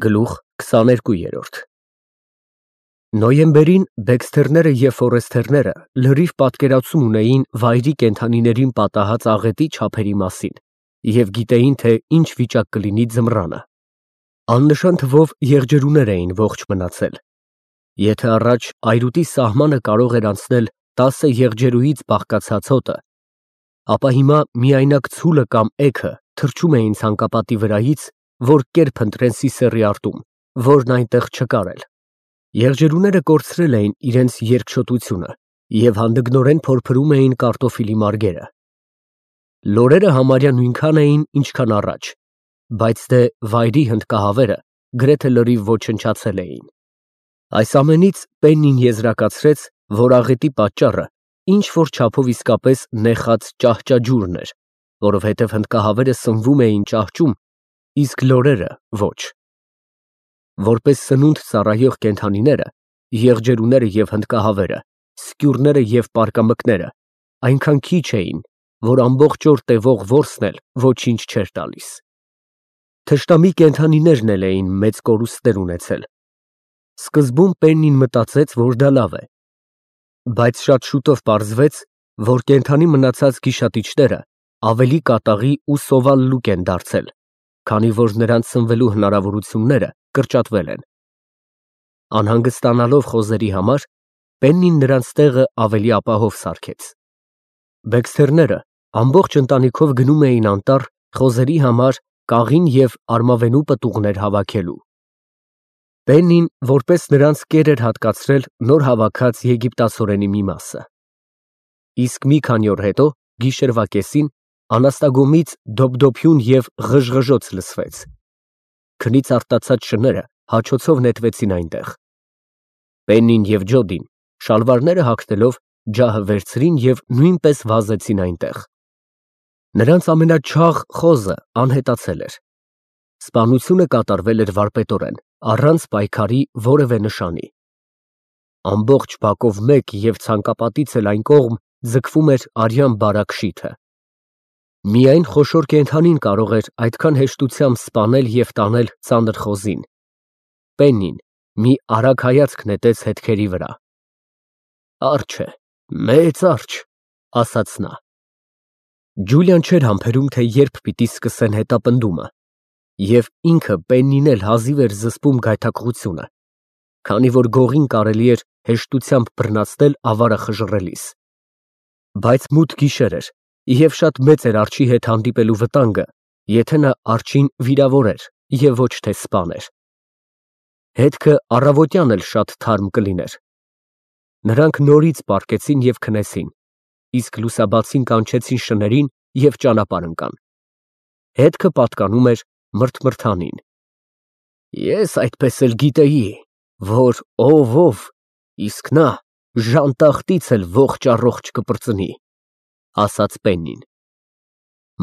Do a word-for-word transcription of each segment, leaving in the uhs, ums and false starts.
Գլուխ քսաներկու։ Նոյեմբերին Բեքսթերները և Ֆորեսթերները լրիվ պատկերացում ունեին վայրի կենդանիներին պատահած աղետի չափերի մասին և գիտեին, թե ինչ վիճակ կլինի ձմռանը. աննշան թվով եղջերուներ էին ողջ մնացել. եթե առաջ այրուտի սահմանը կարող էր անցնել տասը եղջերուից բաղկացած հոտը, ապա հիմա միայնակ ցուլը կամ էգը թռչում էին ցանկապատի վրայից, որ կերպ ընտրեն Սիսեռի արտում, որն այնտեղ չկար էլ. եղջերուները կորցրել էին իրենց երկչոտությունը և հանդգնորեն փորփրում էին կարտոֆիլի մարգերը. լորերը համարյա նույնքան էին, ինչքան առաջ, բայց դե վայրի հնդկահավերը գրեթե լրիվ ոչնչացել էին. այս ամենից Պեննին եզրակացրեց, որ աղետի պատճառը ինչ֊որ չափով իսկապես նեխած ճահճաջուրն էր, որովհետև հնդկահավերը սնվում էին ճահճում, իսկ լորերը ոչ. որպես սնունդ ծառայող կենդանիները, եղջերուները և հնդկահավերը, սկյուրները և պարկամկները այնքան քիչ էին, որ ամբողջ օր տևող որսն էլ ոչինչ չէր տալիս. Թշնամի կենդանիներն էլ էին մեծ կորուստներ ունեցել. սկզբում Պեննին մտածեց, որ դա լավ է, բայց շատ շուտով պարզվեց, որ կենդանի մնացած գիշատիչները ավելի կատաղի ու սովալ լուկ են դարձել, քանի որ նրանց սնվելու հնարավորությունները կրճատվել են. անհանգստանալով խոզերի համար, Պեննին նրանց տեղը ավելի ապահով սարքեց. Բեքսթերները ամբողջ ընտանիքով գնում էին անտառ խոզերի համար կաղին և արմավենու պտուղներ հավաքելու. Պեննին որպես նրանց կեր էր հատկացրել նոր հավաքած եգիպտացորենի մի մասը. իսկ մի քանի օր հետո, գիշերվա կեսին, անաստագոմից դոփդոփյուն և ղժղժոց լսվեց. քնից արտացած շները հաչոցով նետվեցին այնտեղ. Պեննին և Ջոդին շալվարները հագնելով ջահը վերցրին և նույնպես վազեցին այնտեղ. նրանց ամենաչաղ խոզը անհետացել էր. սպանությունը կատարվել էր վարպետորեն, առանց պայքարի որևէ նշանի. ամբողջ բակով մեկ և ցանկապատից էլ այն կողմ ձգվում էր արյան բարակ շիթը. միայն խոշոր կենդանին կարող էր այդքան հեշտությամբ սպանել և տանել ծանր խոզին. Պեննին մի արագ հայացք նետեց հետքերի վրա. «Արջ է, մեծ արջ», ասաց նա. Ջուլիան չէր համբերում, թե երբ պիտի սկսեն հետապնդումը, և ինքը Պեննին էլ հազիվ էր զսպում գայթակղությունը, քանի որ գողին կարելի էր հեշտությամբ բռնացնել ավարը խժռելիս. բայց մութ գիշեր էր և շատ մեծ էր արջի հետ հանդիպելու վտանգը, եթե նա արջին վիրավորեր և ոչ թե սպաներ. հետքը առավոտյան էլ շատ թարմ կլիներ. նրանք նորից պառկեցին և քնեցին, իսկ լուսաբացին կանչեցին շներին և ճանապարհ ընկան. հետքը պատկանում էր մրթմրթանին. «Ես այդպես էլ գիտեի, որ ով ով, իսկ նա ժանտախտից էլ ողջ առողջ կպրծնի», ասաց Պեննին: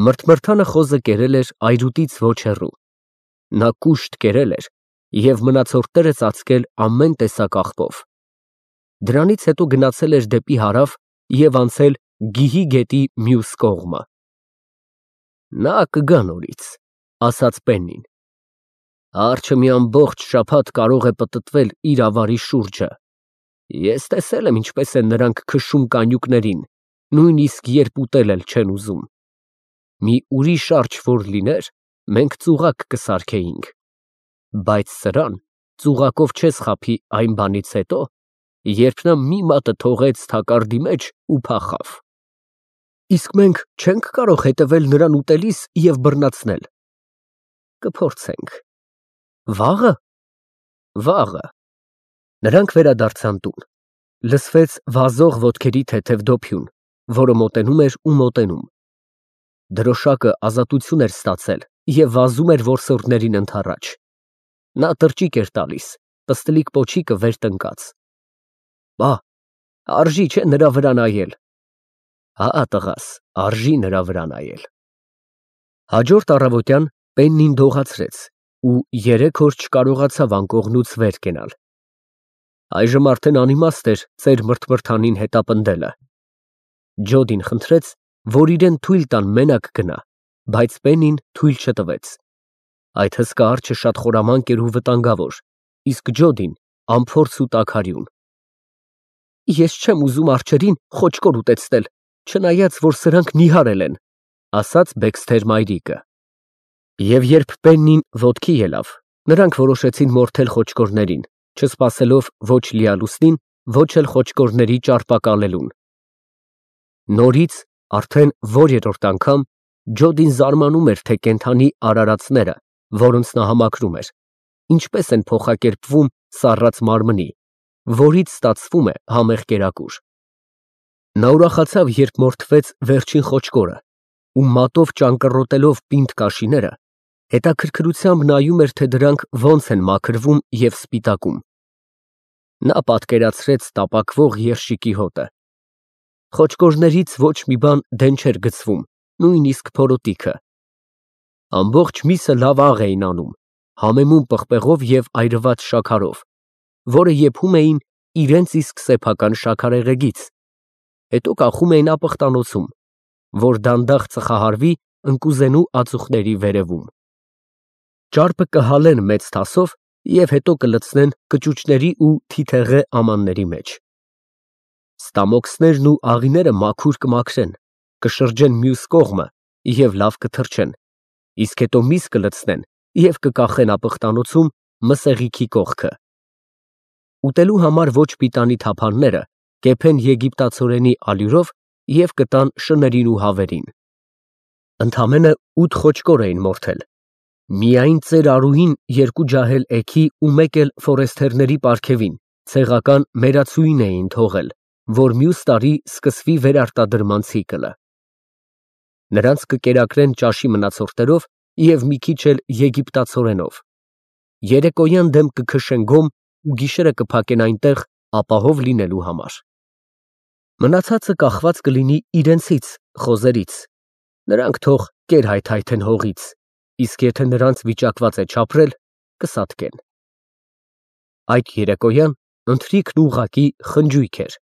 Մրթմրթանը խոզը կերել էր այրուտից ոչ հեռու. նա կուշտ կերել էր և մնացորդները ծածկել ամեն տեսակ աղբով. դրանից հետո գնացել էր դեպի հարավ և անցել Գիհի գետի մյուս կողմը: «Նա կգա նորից», ասաց Պեննին. «արջը մի ամբողջ շաբաթ կարող է պտտվել իր ավարի շուրջը: Ես տեսել եմ ինչպես են նրանք քշում կանյուկներին, նույնիսկ երբ ուտել էլ չեն ուզում: Մի ուրիշ արջ որ լիներ, մենք ծուղակ կսարքեինք, բայց սրան ծուղակով չես խաբի այն բանից հետո, երբ նա մի մատը թողեց թակարդի մեջ ու փախավ»։ «Իսկ մենք չե՞նք կարող հետևել նրան ուտելիս և բռնացնել»։ «Կփորձենք»։ «Վաղը»։ «Վաղը»։ Նրանք վերադարձան տուն. լսվեց վազող ոտքերի թեթև դոփյուն, որը մոտենում էր ու մոտենում. դրոշակը ազատություն էր ստացել և վազում էր որսորդներին ընդառաջ. նա տրճիկ էր տալիս, պստլիկ պոչիկը վեր տնկած. «Պա, արժի չէ նրա վրա նայել»։ «Հա, տղաս, արժի նրա վրա նայել»։ Հաջորդ առավոտյան Պեննին դողացրեց ու երեք օր չկարողացավ անկողնուց վեր կենալ. այժմ արդեն անիմաստ էր ծեր Մրթմրթանին հետապնդելը. Ջոդին խնդրեց, որ իրան թույլ տան մենակ գնա, բայց Պեննին թույլ չտվեց. Այդ հսկա արջը շատ խորամանկ էր ու վտանգավոր, իսկ Ջոդին անփորձ ու տաքարյուն։ Ես չեմ ուզում արջերին խոճկոր ուտեցնել, չնայած որ սրանք նիհարել են, ասաց Բեքսթեր մայրիկը։ Եվ երբ Պեննին ոտքի ելավ, նրանք որոշեցին մորթել խոճկորներին, չսպասելով ոչ լիալուսնին, ոչ էլ խոճկորների ճարպակալելուն։ Նորից, արդեն որ-երրորդ անգամ, Ջոդին զարմանում էր, թե կենդանի արարածները, որոնց նա համակրում էր, ինչպես են փոխակերպվում սառած մարմնի, որից ստացվում է համեղ կերակուր։ Նա ուրախացավ, երբ մորթվեց վերջին խոճկորը, ու մատով ճանկռոտելով պինդ կաշիները, հետաքրքրությամբ նայում էր, թե դրանք ոնց են մաքրվում և սպիտակում։ Նա պատկերացրեց տապակվող երշիկի հոտը։ Խոճկորներից ոչ մի բան դեն չէր գցվում, նույնիսկ փորոտիքը։ Ամբողջ միսը լավ աղ էին անում, համեմուն պղպեղով և այրված շաքարով, որը եփում էին իրենց իսկ սեփական շաքարեղեգից, հետո կախում էին ապխտանոցում, որ դանդաղ ծխահարվի ընկուզենու ածուխների վերևում։ Ճարպը կհալեն մեծ թասով և հետո կլցնեն կճուճների ու թիթեղե ամանների մեջ։ Ստամոքսներն ու աղիները մաքուր կմաքրեն, կշրջեն մյուս կողմը և լավ կթրջեն, իսկ հետո միս կլցնեն և կկախեն ապխտանոցում մսեղիքի կողքը։ Ուտելու համար ոչ պիտանի թափանները կեփեն եգիպտացորենի ալյուրով և կտան շներին ու հավերին։ Ընդամենը ութ խոճկոր էին մորթել։ Միայն ծեր Արուհին երկու ջահել էգի ու մեկ էլ ֆորեստերների պարգևին ցեղական մերացուին էին թողել, որ մյուս տարի սկսվի վերարտադրման ցիկլը։ Նրանց կկերակրեն ճաշի մնացորդներով և մի քիչ էլ եգիպտացորենով։ Երեկոյան դեմ կքշեն գոմ ու գիշերը կփակեն այնտեղ ապահով լինելու համար։ Մնացածը կախված կլինի իրենցից, խոզերից, նրանք թող կեր-հայթայթեն հողից, իսկ եթե նրանց վիճակված է չապրել, կսատկեն։ Այդ երեկոյան ընթրիքն ուղղակի խնջույք էր,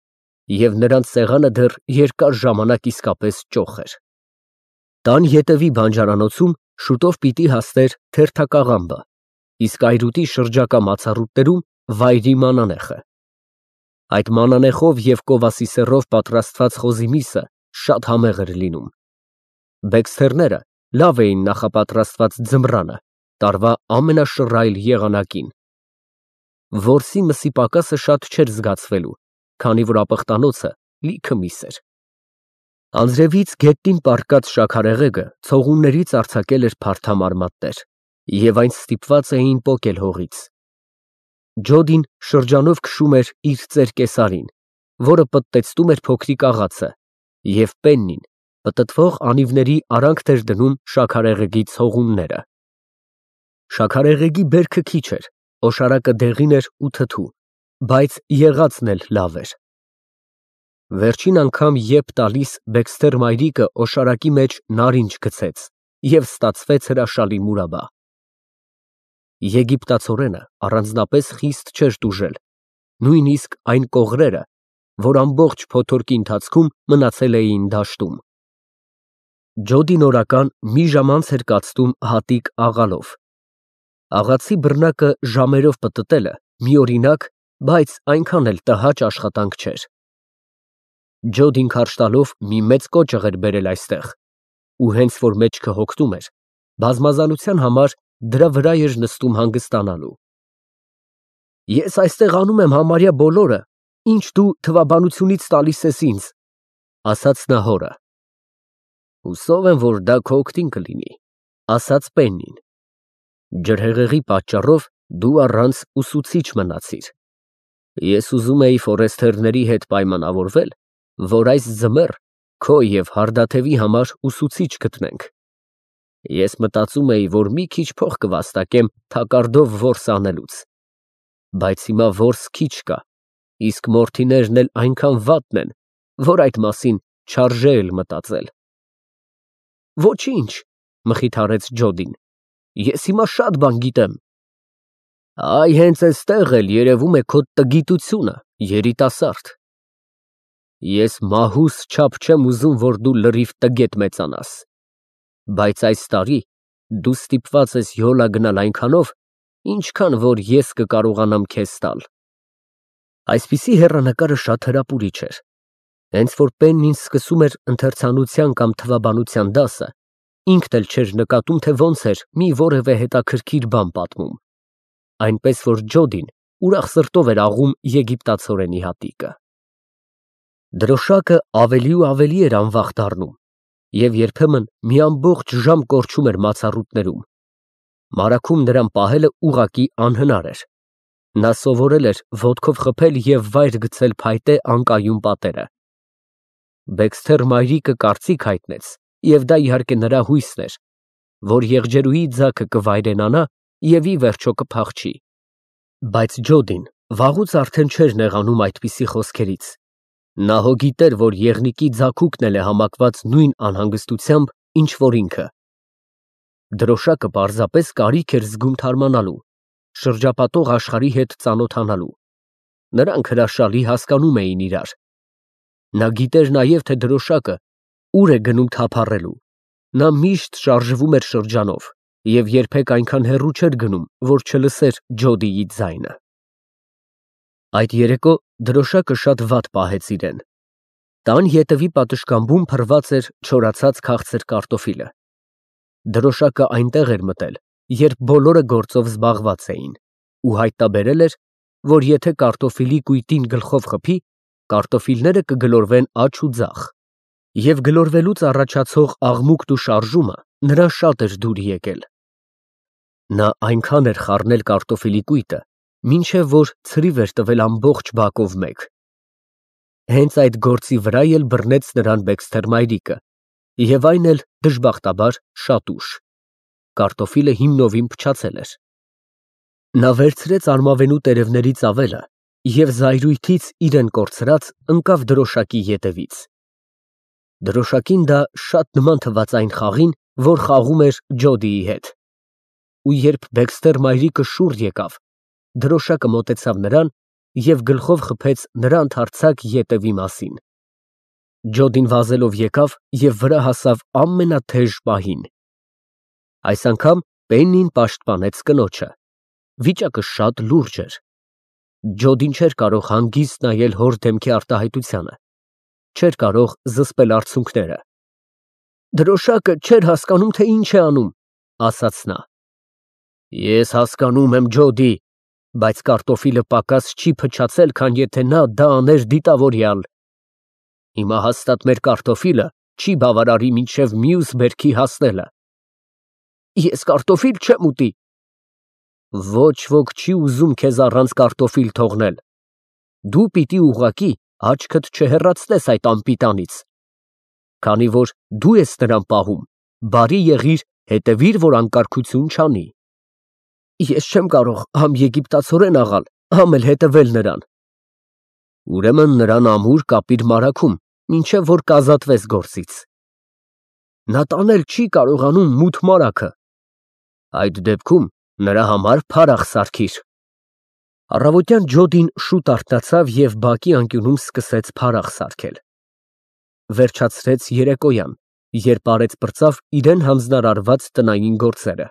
և նրանց սեղանը դեռ երկար ժամանակ իսկապես ճոխ էր։ Տան ետևի բանջարանոցում շուտով պիտի հասներ թերթակաղամբը, իսկ այրուտի շրջակա մացառուտներում վայրի մանանեխը։ Այդ մանանեխով և կովասի սեռով պատրաստված խոզի միսը շատ համեղ էր լինում։ Բեքսթերները լավ էին նախապատրաստված ձմռանը, տարվա ամենաշռայլ եղանակին։ Որսի մսի պակասը շատ չէր զգացվելու, քանի որ ապխտանոցը լիքը միս էր։ Անձրևից գետնին պառկած շաքարեղեգը ցողուններից արձակել էր փարթամարմատներ, և այն ստիպված էին պոկել հողից։ Ջոդին շրջանով քշում էր իր ծեր կեսարին, որը պտտեցնում էր փոքրիկ աղացը, և Պեննին պտտվող անիվների արանքն էր դնում շաքարեղեգի ցողունները։ Շաքարեղեգի բերքը քիչ էր, օշարակը դեղին էր ու թթու, բայց եղածն էլ լավ էր։ Վերջին անգամ եպ տալիս Բեքսթեր մայրիկը օշարակի մեջ նարինջ գցեց և ստացվեց հրաշալի մուրաբա։ Եգիպտացորենը առանձնապես խիստ չէր տուժել, նույնիսկ այն կողրերը, որ ամբողջ փոթորկի ընթացքում մնացել էին դաշտում։ Ջոդին օրական մի ժամ անց էր կացնում հատիկ աղալով։ Աղացի բռնակը ժամերով պտտելը միօրինակ, բայց այնքան էլ տհաճ աշխատանք չէր։ Ջոդին քարշ տալով մի մեծ կոճղ էր բերել այստեղ, ու հենց որ մեջքը հոգնում էր, բազմազանության համար դրա վրա էր նստում հանգստանալու։ Ես այստեղ անում եմ համարյա բոլորը, ինչ դու թվաբանությունից տալիս ես ինձ, ասաց նա հորը։ Հուսով եմ, որ դա քո օգտին կլինի, ասաց Պեննին։ Ջրհեղեղի պատճառով դու առանց ուսուցիչ մնացիր։ Ես ուզում էի ֆորեստերների հետ պայմանավորվել, որ այս ձմեռ քո և հարդաթևի համար ուսուցիչ գտնենք։ Ես մտածում էի, որ մի քիչ փող կվաստակեմ թակարդով որս անելուց, բայց հիմա որս քիչ կա, իսկ մորթիներն էլ այնքան վատն են, որ այդ մասին չարժե էլ մտածել։ Ոչինչ, մխիթարեց Ջոդին, ես հիմա շատ բան գիտեմ։ Այ հենց էստեղ էլ երևում է քո տգիտությունը, երիտասարդ։ Ես մահուս չափ չեմ ուզում, որ դու լրիվ տգետ մեծանաս, բայց այս տարի Դու ստիպված ես յոլա գնալ այնքանով, ինչքան որ ես կկարողանամ քեզ տալ։ Այսպիսի հեռանկարը շատ հրապուրիչ էր։ Հենց որ Պեննին սկսում էր ընթերցանության կամ թվաբանության դասը, ինքն էլ չէր նկատում, թե ոնց էր մի որևէ հետաքրքիր բան պատմում, այնպես որ Ջոդին ուրախ սրտով էր աղում եգիպտացորենի հատիկը։ Դրոշակը ավելի ու ավելի էր անվախ դառնում և երբեմն մի ամբողջ ժամ կորչում էր մացառուտներում։ Մարաքում նրան պահելը ուղղակի անհնար էր։ Նա սովորել էր ոտքով խփել և վայր գցել փայտե անկայուն պատերը։ Բեքսթեր մայրիկը կարծիք հայտնեց, և դա իհարկե նրա հույսն էր, որ եղջերուի ձագը կվայրենանա և ի վերջո կփախչի։ Բայց Ջոդին վաղուց արդեն չէր նեղանում այդպիսի խոսքերից։ Նա հո գիտեր, որ եղնիկի ձագուկն էլ է համակված նույն անհանգստությամբ, ինչ որ ինքը։ Դրոշակը պարզապես կարիք էր զգում թարմանալու, շրջապատող աշխարհի հետ ծանոթանալու։ Նրանք հրաշալի հասկանում էին իրար։ Նա գիտեր նաև, թե դրոշակը ուր է գնում թափառելու։ Նա միշտ շարժվում էր շրջանով և երբեք այնքան հեռու չէր գնում, որ չլսեր Ջոդիի ձայնը։ Այդ երեկո դրոշակը շատ վատ պահեց իրեն։ Տան ետևի պատշգամբում փռված էր չորացած քաղցր կարտոֆիլը։ Դրոշակը այնտեղ էր մտել, երբ բոլորը գործով զբաղված էին, ու հայտնաբերել էր, որ եթե կարտոֆիլի կույտին գլխով խփի, կարտոֆիլները կգլորվեն աջ ու ձախ, և գլորվելուց առաջացող աղմուկն ու շարժումը նրան շատ էր դուր եկել։ Նա այնքան էր խառնել կարտոֆիլի կույտը, մինչև որ ցրիվ էր տվել ամբողջ բակով մեկ։ Հենց այդ գործի վրա էլ բռնեց նրան Բեքսթեր մայրիկը, և այն էլ, դժբախտաբար, շատ ուշ։ Կարտոֆիլը հիմնովին փչացել էր։ Նա վերցրեց արմավենու տերևների ծավելը և զայրույթից իրեն կորցրած ընկավ դրոշակի ետևից։ Դրոշակին դա շատ նման թվաց այն խաղին, որ խաղում էր Ջոդիի հետ։ Ու երբ Բեքսթեր մայրիկը շուռ եկավ, դրոշակը մոտեցավ նրան և գլխով խփեց նրա ընդարձակ ետևի մասին։ Ջոդին վազելով եկավ և վրա հասավ ամենաթեժ պահին։ Այս անգամ Պեննին պաշտպանեց կնոջը։ Վիճակը շատ լուրջ էր։ Ջոդին չէր կարող հանգիստ նայել հոր դեմքի արտահայտությանը, չէր կարող զսպել արցունքները։ Դրոշակը չէր հասկանում, թե ինչ է անում, ասաց նա։ Ես հասկանում եմ, Ջոդի, բայց կարտոֆիլը պակաս չի փչացել, քան եթե նա դա աներ դիտավորյալ։ Հիմա հաստատ մեր կարտոֆիլը չի բավարարի մինչև մյուս բերքի հասնելը։ Ես կարտոֆիլ չեմ ուտի։ Ոչ ոք չի ուզում քեզ առանց կարտոֆիլ թողնել։ Դու պիտի ուղղակի աչքդ չհեռացնես այդ անպիտանից։ Քանի որ դու ես նրան պահում, բարի եղիր, հետևիր, որ անկարգություն չանի։ Ես չեմ կարող համ եգիպտացորեն աղալ, համ էլ հետևել նրան։ Ուրեմն նրան ամուր կապիր մարաքում, մինչև որ կազատվես գործից։ Նա տանել չի կարողանում մութ մարագը։ Այդ դեպքում նրա համար փարախ սարքիր։ Առավոտյան Ջոդին շուտ արթնացավ և բակի անկյունում սկսեց փարախ սարքել։ Վերջացրեց երեկոյան, երբ արեց֊պրծավ իրեն հանձնարարված տնային գործերը։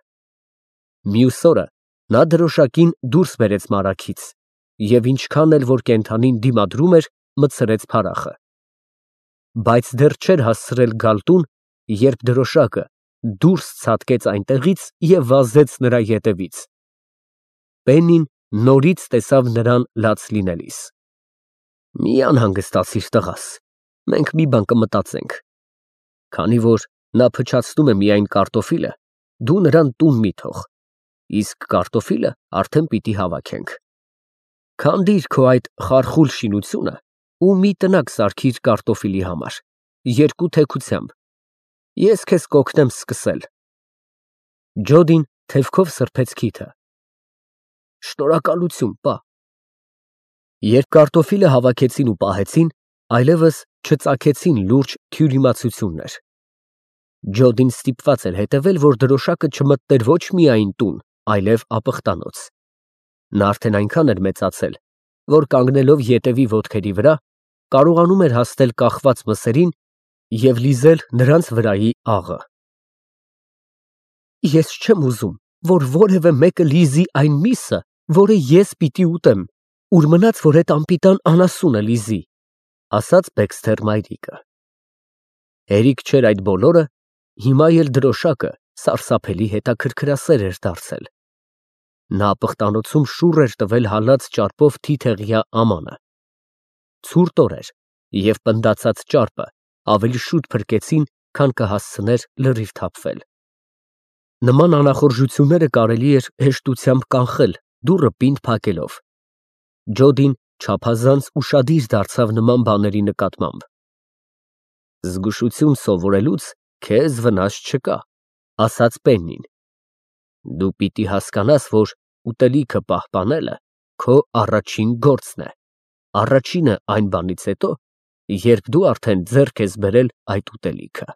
Մյուս օրը նա դրոշակին դուրս բերեց մարագից և ինչքան էլ որ կենդանին դիմադրում էր, մտցրեց փարախը։ Բայց դեռ չէր հասցրել գալ տուն, երբ դրոշակը դուրս ցատկեց այնտեղից և վազեց նրա ետևից։ Պեննին նորից տեսավ նրան լաց լինելիս։ Մի անհանգստացիր, տղաս, մենք մի բան կմտածենք։ Քանի որ նա փչացնում է միայն կարտոֆիլը, դու նրան տուն մի թող, իսկ կարտոֆիլը արդեն պիտի հավաքենք։ Քանդիր քո այդ խարխուլ շինությունը ու մի տնակ սարքիր կարտոֆիլի համար, երկու թեքությամբ, ես քեզ կօգնեմ սկսել։ Ջոդին թևքով սրբեց քիթը։ Շնորհակալություն, պա։ Երբ կարտոֆիլը հավաքեցին ու պահեցին, այլևս չծագեցին լուրջ թյուրիմացություններ։ Ջոդին ստիպված էր հետևել, որ դրոշակը չմտներ ոչ միայն տուն, այլև ապխտանոց։ Նա արդեն այնքան էր մեծացել, որ կանգնելով ետևի ոտքերի վրա, կարողանում էր հասնել կախված մսերին և լիզել նրանց վրայի աղը։ Ես չեմ ուզում, որ որևէ մեկը լիզի այն միսը, որը ես պիտի ուտեմ, ուր մնաց, որ էդ անպիտան անասունը լիզի, ասաց Բեքսթեր մայրիկը։ Հերիք չէր այդ բոլորը, հիմա էլ դրոշակը սարսափելի հետաքրքրասեր էր դարձել։ Նա պղտանոցում շուռ էր տվել հալած ճարպով թիթեղյա ամանը։ Ցուրտ օր էր, և պնդացած ճարպը ավելի շուտ փրկեցին, քան կհասցներ լրիվ թափվել։ Նման անախորժությունները կարելի էր հեշտությամբ կանխել, դուռը պինդ փակելով։ Ջոդին չափազանց ուշադիր դարձավ նման բաների նկատմամբ։ Զգուշություն սովորելուց քեզ վնաս չկա, ասաց Պեննին։ Դու պիտի հասկանաս, որ ուտելիքը պահպանելը քո առաջին գործն է, առաջինը այն բանից հետո, երբ դու արդեն ձեռք ես բերել այդ ուտելիքը։